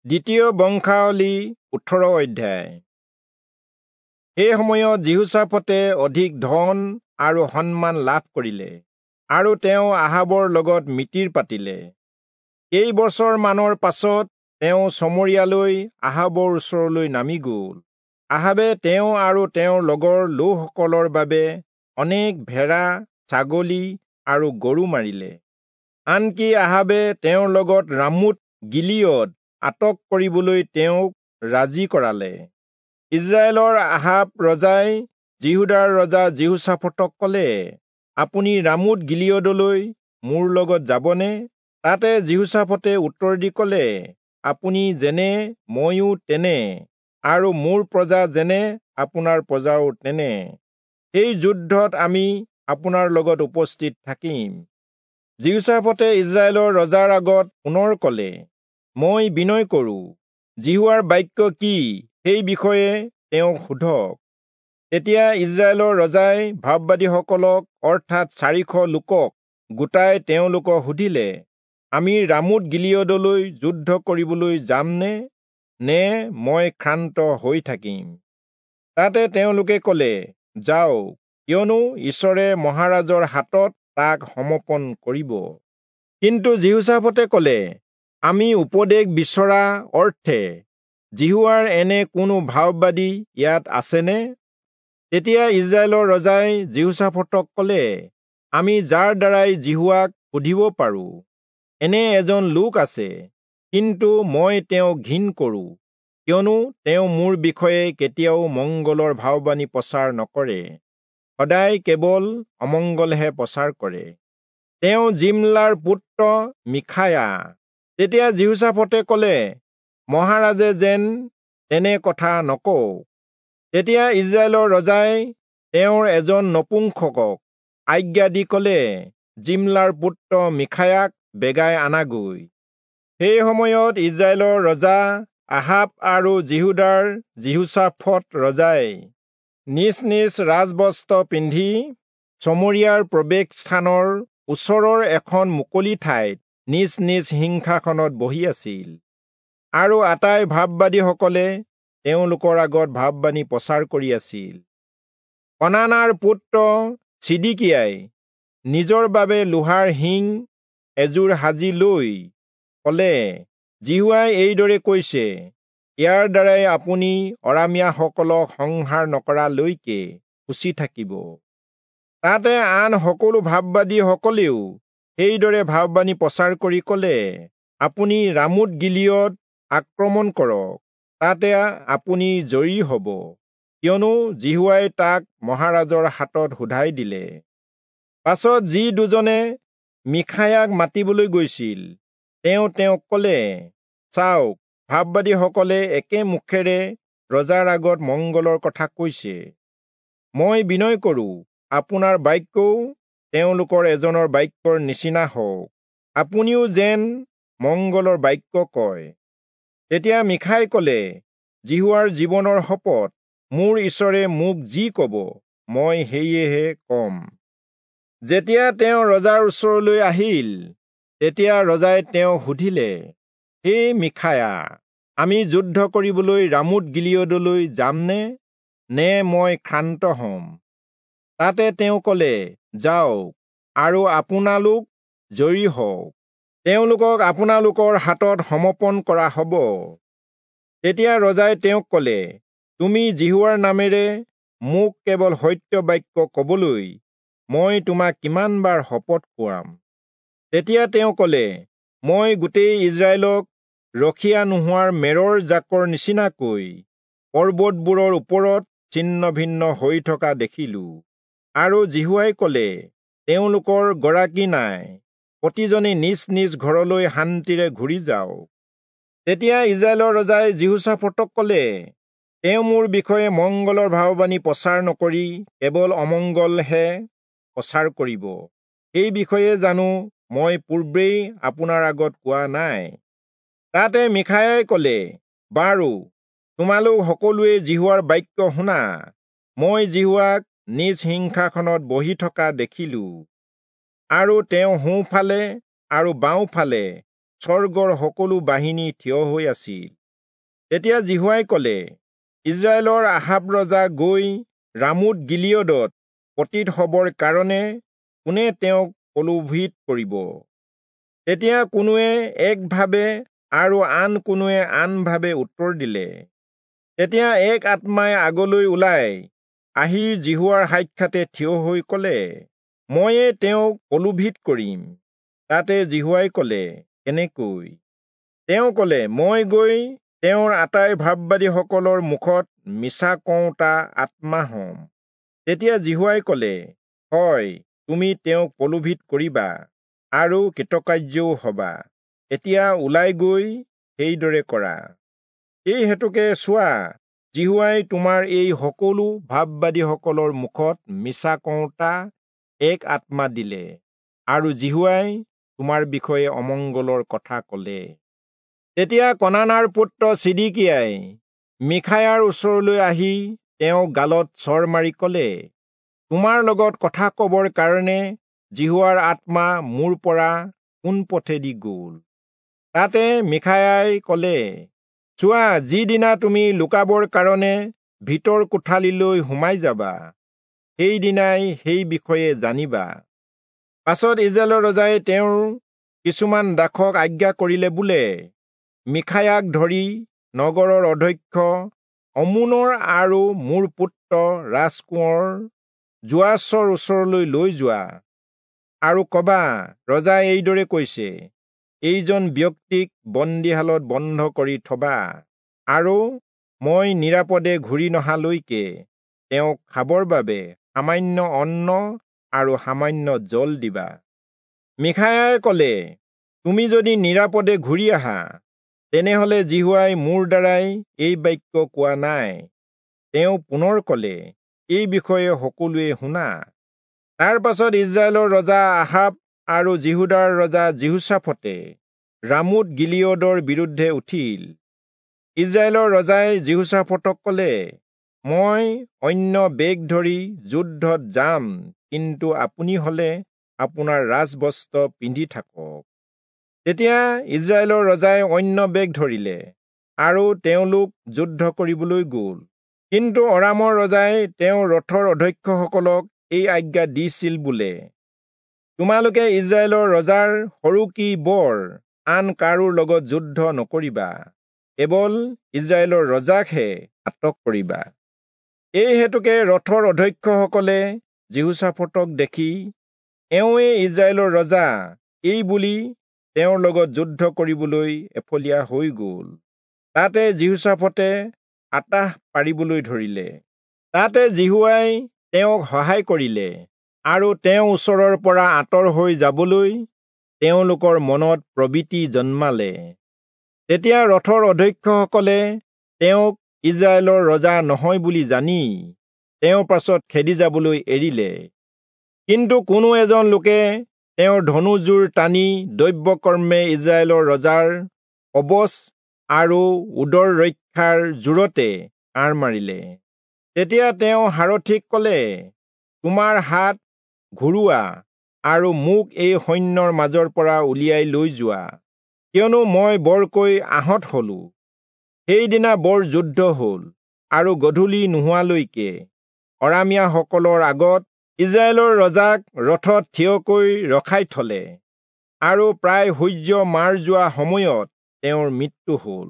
দ্বিতীয় বংশাৱলী 18 অধ্যায়। সেই সময়ত যিহোচাফটে অধিক ধন আৰু সন্মান লাভ কৰিলে আৰু তেওঁ আহাবৰ লগত মিতিৰ পাতিলে। কেইবছৰমানৰ পাছত তেওঁ চমৰীয়ালৈ আহাবৰ ওচৰলৈ নামি গ'ল। আহাবে তেওঁ আৰু তেওঁৰ লগৰ লোকসকলৰ বাবে অনেক ভেড়া, ছাগলী আৰু গৰু মাৰিলে। আনকি আহাবে তেওঁৰ লগত ৰামোত গিলিয়দ আটক কৰিবলৈ তেওঁক ৰাজি কৰালে। ইজৰাইলৰ আহাব ৰজাই যিহূদাৰ ৰজা যিহোচাফটক ক'লে, আপুনি ৰামোত গিলিয়দলৈ মোৰ লগত যাবনে? তাতে যিহোচাফটে উত্তৰ দি ক'লে, আপুনি যেনে ময়ো তেনে, আৰু মোৰ প্ৰজা যেনে আপোনাৰ প্ৰজাও তেনে। সেই যুদ্ধত আমি আপোনাৰ লগত উপস্থিত থাকিম। যিহোচাফটে ইজৰাইলৰ ৰজাৰ আগত পুনৰ ক'লে, মই বিনয় কৰোঁ, যিহোৱাৰ বাক্য কি সেই বিষয়ে তেওঁক সোধক। তেতিয়া ইজৰাইলৰ ৰজাই ভাববাদীসকলক অৰ্থাৎ 400 লোকক গোটাই তেওঁলোকক সুধিলে, আমি ৰামোত গিলিয়দলৈ যুদ্ধ কৰিবলৈ যামনে, নে মই ক্ষান্ত হৈ থাকিম? তাতে তেওঁলোকে ক'লে, যাওক, কিয়নো ঈশ্বৰে মহাৰাজৰ হাতত তাক সমৰ্পণ কৰিব। কিন্তু যিহোচাফটে ক'লে, আমি উপদেশ বিচৰা অৰ্থে যিহোৱাৰ এনে কোনো ভাববাদী ইয়াত আছেনে? তেতিয়া ইজৰাইলৰ ৰজাই যিহোচাফটক ক'লে, আমি যাৰ দ্বাৰাই যিহোৱাক সুধিব পাৰোঁ, এনে এজন লোক আছে, কিন্তু মই তেওঁক ঘিণ কৰোঁ, কিয়নো তেওঁ মোৰ বিষয়ে কেতিয়াও মংগলৰ ভাববাণী প্ৰচাৰ নকৰে, সদায় কেৱল অমংগলহে প্ৰচাৰ কৰে। তেওঁ জিমলাৰ পুত্ৰ মিখায়া। তেতিয়া যিহোচাফটে ক'লে, মহাৰাজে যেন তেনে কথা নকওক। তেতিয়া ইজৰাইলৰ ৰজাই তেওঁৰ এজন নপুংসকক আজ্ঞা দি ক'লে, জিমলাৰ পুত্ৰ মিখায়াক বেগাই আনাগৈ। সেই সময়ত ইজৰাইলৰ ৰজা আহাব আৰু যিহূদাৰ যিহোচাফট ৰজাই নিজ নিজ ৰাজবস্ত্ৰ পিন্ধি চমৰীয়াৰ প্ৰৱেশ স্থানৰ ওচৰৰ এখন মুকলি ঠাইত নিজ নিজ সিংহাসনত বহি আছিল, আৰু আটাই ভাববাদীসকলে তেওঁলোকৰ আগত ভাববাণী প্ৰচাৰ কৰি আছিল। কনানাৰ পুত্ৰ চিদিকিয়াই নিজৰ বাবে লোহাৰ শিং এযোৰ সাজি লৈ ক'লে, যিহোৱাই এইদৰে কৈছে, ইয়াৰ দ্বাৰাই আপুনি অৰামীয়াসকলক সংহাৰ নকৰালৈকে খুচি থাকিব। তাতে আন সকলো ভাববাদীসকলেও সেইদৰে ভাববাণী প্ৰচাৰ কৰি ক'লে, আপুনি ৰামোত গিলিয়দ আক্ৰমণ কৰক, তাতে আপুনি জয়ী হ'ব, কিয়নো যিহোৱাই তাক মহাৰাজৰ হাতত শোধাই দিলে। পাছত যি দুজনে মিখায়াক মাতিবলৈ গৈছিল, তেওঁ তেওঁক ক'লে, চাওক, ভাববাদীসকলে একে মুখেৰে ৰজাৰ আগত মংগলৰ কথা কৈছে। মই বিনয় কৰোঁ, আপোনাৰ বাক্যও তেওঁলোকৰ এজনৰ বাক্যৰ নিচিনা হওক, আপুনিও যেন মংগলৰ বাক্য কয়। তেতিয়া মিখাই ক'লে, যিহোৱাৰ জীৱনৰ শপত, মোৰ ঈশ্বৰে মোক যি ক'ব মই সেয়েহে কম। যেতিয়া তেওঁ ৰজাৰ ওচৰলৈ আহিল, তেতিয়া ৰজাই তেওঁক সুধিলে, হে মিখায়া, আমি যুদ্ধ কৰিবলৈ ৰামোত গিলিয়দলৈ যামনে, নে মই ক্ষান্ত হ'ম? তাতে তেওঁ ক'লে, যাওক আৰু আপোনালোক জয়ী হওক, তেওঁলোকক আপোনালোকৰ হাতত সমৰ্পণ কৰা হ'ব। তেতিয়া ৰজাই তেওঁক ক'লে, তুমি যিহোৱাৰ নামেৰে মোক কেৱল সত্য বাক্য ক'বলৈ মই তোমাক কিমানবাৰ শপত খুৱাম? তেতিয়া তেওঁ ক'লে, মই গোটেই ইজৰাইলক ৰখীয়া নোহোৱাৰ মেৰৰ জাকৰ নিচিনাকৈ পৰ্বতবোৰৰ ওপৰত ছিন্ন ভিন্ন হৈ থকা দেখিলোঁ, আৰু যিহোৱাই ক'লে, তেওঁলোকৰ গৰাকী নাই, প্ৰতিজনে নিজ নিজ ঘৰলৈ শান্তিৰে ঘূৰি যাওক। তেতিয়া ইজৰাইলৰ ৰজাই যিহোচাফটক ক'লে, তেওঁ মোৰ বিষয়ে মংগলৰ ভাববাণী প্ৰচাৰ নকৰি কেৱল অমংগলহে প্ৰচাৰ কৰিব, সেই বিষয়ে জানো মই পূৰ্বেই আপোনাৰ আগত কোৱা নাই? তাতে মিখায়াই ক'লে, বাৰু, তোমালোক সকলোৱে যিহোৱাৰ বাক্য শুনা। মই যিহোৱাক নিজ সিংহাসনত বহি থকা দেখিলোঁ, আৰু তেওঁ সোঁফালে আৰু বাওঁফালে স্বৰ্গৰ সকলো বাহিনী থিয় হৈ আছিল। তেতিয়া যিহোৱাই কলে, ইস্ৰায়েলৰ আহাব ৰজা গৈ ৰামোত গিলিয়দত পতিত হবৰ কাৰণে কোনে তেওঁক প্ৰলোভিত কৰিব? তেতিয়া কোনোৱে একভাৱে আৰু আন কোনোৱে আনভাৱে উত্তৰ দিলে। তেতিয়া এক আত্মাই আগলৈ ওলাই আহি যিহোৱাৰ সাক্ষাতে থিয় হৈ কলে, ময়ে তেওঁক প্ৰলোভিত কৰিম। তাতে যিহোৱাই কলে, কেনেকৈ? তেওঁ কলে, মই গৈ তেওঁৰ আটাই ভাববাদীসকলৰ মুখত মিছা কওঁতা আত্মা হম। তেতিয়া যিহোৱাই কলে, হয়, তুমি তেওঁক প্ৰলোভিত কৰিবা আৰু কৃতকাৰ্যও হবা। এতিয়া ওলাই গৈ সেইদৰে কৰা। এই হেতুকে চোৱা, যিহোৱাই তোমাৰ এই সকলো ভাববাদীসকলৰ মুখত মিছা কওঁতা এক আত্মা দিলে, আৰু যিহোৱাই তোমাৰ বিষয়ে অমংগলৰ কথা কলে। তেতিয়া কনানাৰ পুত্ৰ চিদিকিয়াই মিখায়াৰ ওচৰলৈ আহি তেওঁ গালত চৰ মাৰি কলে, তোমাৰ লগত কথা কবৰ কাৰণে যিহোৱাৰ আত্মা মোৰ পৰা কোন পথেদি গল? তাতে মিখায়াই কলে, চোৱা, যিদিনা তুমি লুকাবৰ কাৰণে ভিতৰ কোঠালিলৈ সোমাই যাবা, সেইদিনাই সেই বিষয়ে জানিবা। পাছত ইস্ৰায়েলৰ ৰজাই তেওঁৰ কিছুমান দাসক আজ্ঞা কৰিলে বোলে, মিখায়াক ধৰি নগৰৰ অধ্যক্ষ অমোনৰ আৰু মোৰ পুত্ৰ ৰাজকোঁৱৰ যোৱাচৰ ওচৰলৈ লৈ যোৱা, আৰু কবা, ৰজাই এইদৰে কৈছে, এইজন ব্যক্তিক বন্দীশালত বন্ধ কৰি থবা, আৰু মই নিৰাপদে ঘূৰি নহালৈকে তেওঁক খাবৰ বাবে সামান্য অন্ন আৰু সামান্য জল দিবা। মিখায়াই কলে, তুমি যদি নিৰাপদে ঘূৰি আহা, তেনেহলে যিহোৱাই মোৰ দ্বাৰাই এই বাক্য কোৱা নাই। তেওঁ পুনৰ কলে, এই বিষয়ে সকলোৱে শুনা। তাৰ পাছত ইস্ৰায়েলৰ ৰজা আহাব আৰু যিহূদাৰ ৰজা যিহোচাফটে ৰামোত গিলিয়দৰ বিৰুদ্ধে উঠিল। ইস্ৰায়েলৰ ৰজাই যিহোচাফটক কলে, মই অন্য বেগ ধৰি যুদ্ধত যাম, কিন্তু আপুনি হলে আপোনাৰ ৰাজবস্ত্ৰ পিন্ধি থাকক। তেতিয়া ইস্ৰায়েলৰ ৰজাই অন্য বেগ ধৰিলে আৰু তেওঁলোক যুদ্ধ কৰিবলৈ গল। কিন্তু অৰামৰ ৰজাই তেওঁৰ ৰথৰ অধ্যক্ষসকলক এই আজ্ঞা দিছিল বোলে, তোমালোকে ইস্ৰায়েলৰ ৰজাৰ সৰু কি বৰ আন কাৰো লগত যুদ্ধ নকৰিবা, কেৱল ইস্ৰায়েলৰ ৰজাকহে আটক কৰিবা। এই হেতুকে ৰথৰ অধ্যক্ষসকলে যিহোচাফটক দেখি এওঁৱে ইস্ৰায়েলৰ ৰজা এই বুলি তেওঁৰ লগত যুদ্ধ কৰিবলৈ এফলীয়া হৈ গল। তাতে যিহোচাফটে আটাহ পাৰিবলৈ ধৰিলে। তাতে যিহোৱাই তেওঁক সহায় কৰিলে আৰু তেওঁ ওচৰৰ পৰা আঁতৰ হৈ যাবলৈ তেওঁলোকৰ মনত প্ৰবৃত্তি জন্মালে। তেতিয়া ৰথৰ অধ্যক্ষসকলে তেওঁক ইস্ৰায়েলৰ ৰজা নহয় বুলি জানি তেওঁৰ পাছত খেদি যাবলৈ এৰিলে। কিন্তু কোনো এজন লোকে তেওঁৰ ধনুজোৰ টানি দৈৱকৰ্মে ইস্ৰায়েলৰ ৰজাৰ কৱচ আৰু উদৰ ৰক্ষাৰ জোৰতে কাঁড় মাৰিলে। তেতিয়া তেওঁ সাৰথিক কলে, তোমাৰ হাত ঘূৰোৱা আৰু মোক এই সৈন্যৰ মাজৰ পৰা উলিয়াই লৈ যোৱা, কিয়নো মই বৰকৈ আহত হলো। সেইদিনা বৰ যুদ্ধ হল আৰু গধূলি নোহোৱালৈকে অৰামীয়াসকলৰ আগত ইস্ৰায়েলৰ ৰজাক ৰথত থিয়কৈ ৰখাই থলে, আৰু প্ৰায় সূৰ্য মাৰ যোৱা সময়ত তেওঁৰ মৃত্যু হল।